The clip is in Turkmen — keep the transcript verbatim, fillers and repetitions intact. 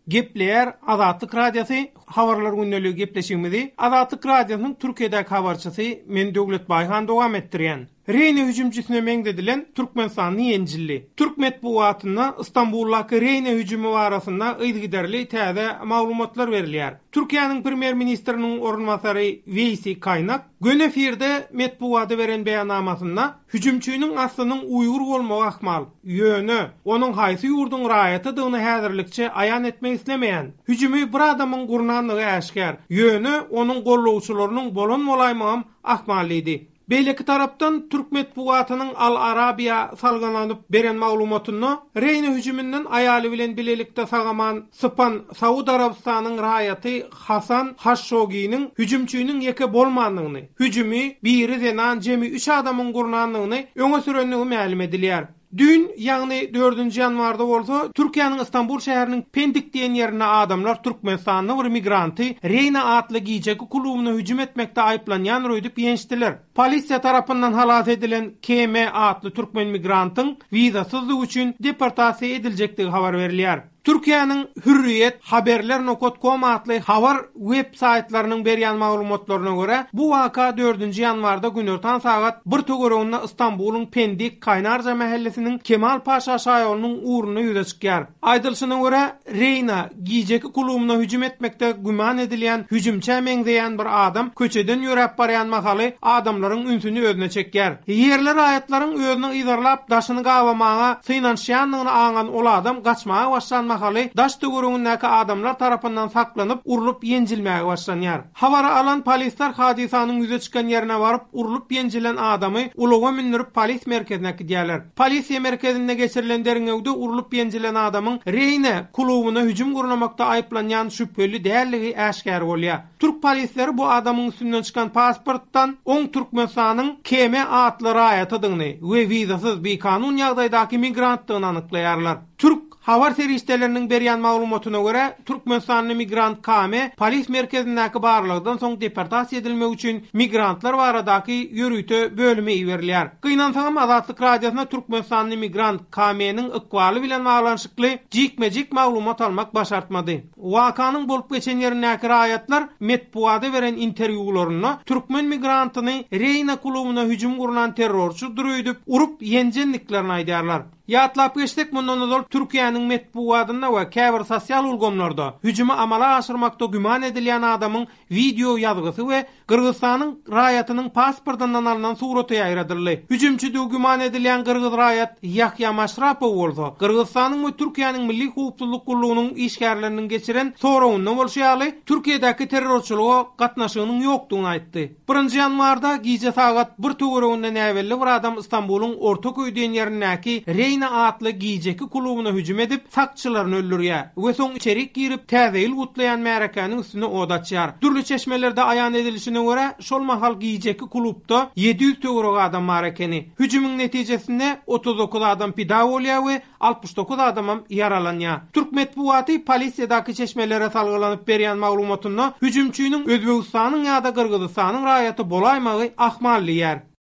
Gepleýär Azatlyk Radiosy Habarlar gündeligi gepleşigimizi Azatlyk Radiosynyň Türkiýedäki habarçysy men Döwlet Baýhan dowam etdirýän. Reýne hüjümçisine meňzedilen Türkmenistanly ýenjildi. Türk metbugatynda Istanbuldaky Reýne hüjümi barasynda yzygiderli täze maglumatlar berilýär. Türkiýäniň premýer-ministriniň orunbasary Weýsi Kaýnak göni efirde metbugata beren beýannamasynda hüjümçiniň aslynyň Uýgur bolmagy ahmal. Ýöne onuň haýsy ýurduň raýatydygyny häzirlikçe aýan etmek islemeýän. Hüjümi bir adamyň gurnandygy äşgär. Ýöne onuň gollawçylarynyň bolan bolaýmagam ahmal diýdi. Beýleki tarapdan Türk metbugatynyň Al Arabiya salgylanyp beren maglumatynda Reýne hüjüminden aýaly bilen bilelikde sagaman sypan Saud Arabystanyň raýaty Hasan Haşşoginiň hüjümçiniň ýeke bolmandygyny, hüjümi biri zenan jemi üç adamyň gurnandygyny öňe sürendigi mälim edilýär. Düýn, ýagny dördünji ýanwarda bolsa, Türkiýäniň Istanbul şäheriniň Pendik diýen ýerinde adamlar Türkmenistanly bir migranty Reýna atly gijeki klubyna hüjüm etmekde aýyplanýan öýdüp ýençdiler. Polisiýa tarapyndan halas edilen K M atly türkmen migrantyň wizasyzlygy üçin deportasiýa ediljekdigi habar berilýär. Türkiýäniň Hürriýet haberler nokta com atly habar web saýtlarynyň berýän maglumatlaryna görä, bu waka dördünji ýanwarda günortan sagat bir töwereginde Istanbulyň Pendik Kaýnarja mahallesiniň Kemal Paşa şaýolunyň ugrunda ýüze çykýar. Aýdylyşyna görä, Reýna gijeki klubuna hüjüm etmekde güman edilýän hüjümçä meňzeýän bir adam köçeden ýöräp barýan mahaly adamlaryň ünsüni özüne çekýär. Ýerli raýatlaryň özüni yzarlap daşyny gabamaga synanyşýandygyny aňan ol adam gaçmaga başlan mahaly daş töweregindäki adamlar tarapyndan saklanyp urlup ýenjilmäge başlanýar. Habary alan polisler hadysanyň ýüze çykan ýerine baryp urlup ýenjilen adamy ulaga mündürip polis merkezine gidýärler. Polisiýa merkezinde geçirilen derňewde urlup ýenjilen adamyň Reýne klubuna hüjüm gurnamakda aýyplanýan şübheli dälligi äşgär bolýar. Türk polisleri bu adamyň üstünden çykan pasportdan on Türkmenistanyň K M atly raýatydygyny we wizasyz bikanun ýagdaýdaky migrantdygyny anyklaýarlar. Türk habar serişdeleriniň berýän maglumatyna görä, Türkmenistanly migrant K M polis merkezindäki barlagdan soň deportasiýa edilmek üçin migrantlar baradaky ýörite bölüme iberilýär. Gynansagam Azatlyk Radiosyna Türkmenistanly migrant K M-niň ykbaly bilen baglanyşykly jikme-jik maglumat almak başartmady. Wakanyň bolup geçen ýerindäki raýatlar metbugata beren interwýularynda türkmen migrantyny Reýna klubuna hüjüm gurnan terrorçydyr öýdüp urup ýenjendiklerini aýdýarlar. Ýatlap geçsek, mundan ozal Türkiýäniň metbugatynda we käbir sosial ulgamlarda hüjümi amala aşyrmakda güman edilýän adamyň wideo ýazgysy we Gyrgyzystanyň raýatynyň pasportyndan alynan suraty ýaýradyldy. Hüjümçi güman edilýän Gyrgyz raýat Ýahýa Maşrapow bolsa, Gyrgyzystanyň we Türkiýäniň Milli Howpsuzlyk gullugynyň işgärleriniň geçiren soragynda bolşy ýaly, Türkiýedäki terrorçylyga gatnaşygynyň ýokdugyny aýtdy. Birinji ýanwarda gije sagat bir töwereginde näbelli bir adam Istanbulyň Ortaköý diýen ýerindäki Reýna atly gijeki klubuna hüjüm edip, sakçylaryny öldürýär we soň içerik girip täze ýyl gutlaýan märekäniň üstüne od açýar. Dürli çeşmelerde aýan edilişine görä, şol mahal gijeki klubda ýedi ýüz töweregi adam bar ekeni. Hüjümiň netijesinde otuz dokuz adam pida bolýar we altmyş dokuz adamam ýaralanýar. Türk metbugaty polisiýadaky çeşmelere salgylanyp berýän maglumatynda hüjümçiniň Özbegistanyň ýa-da Gyrgyzystanyň raýaty bolaýmagy ahmal diýär.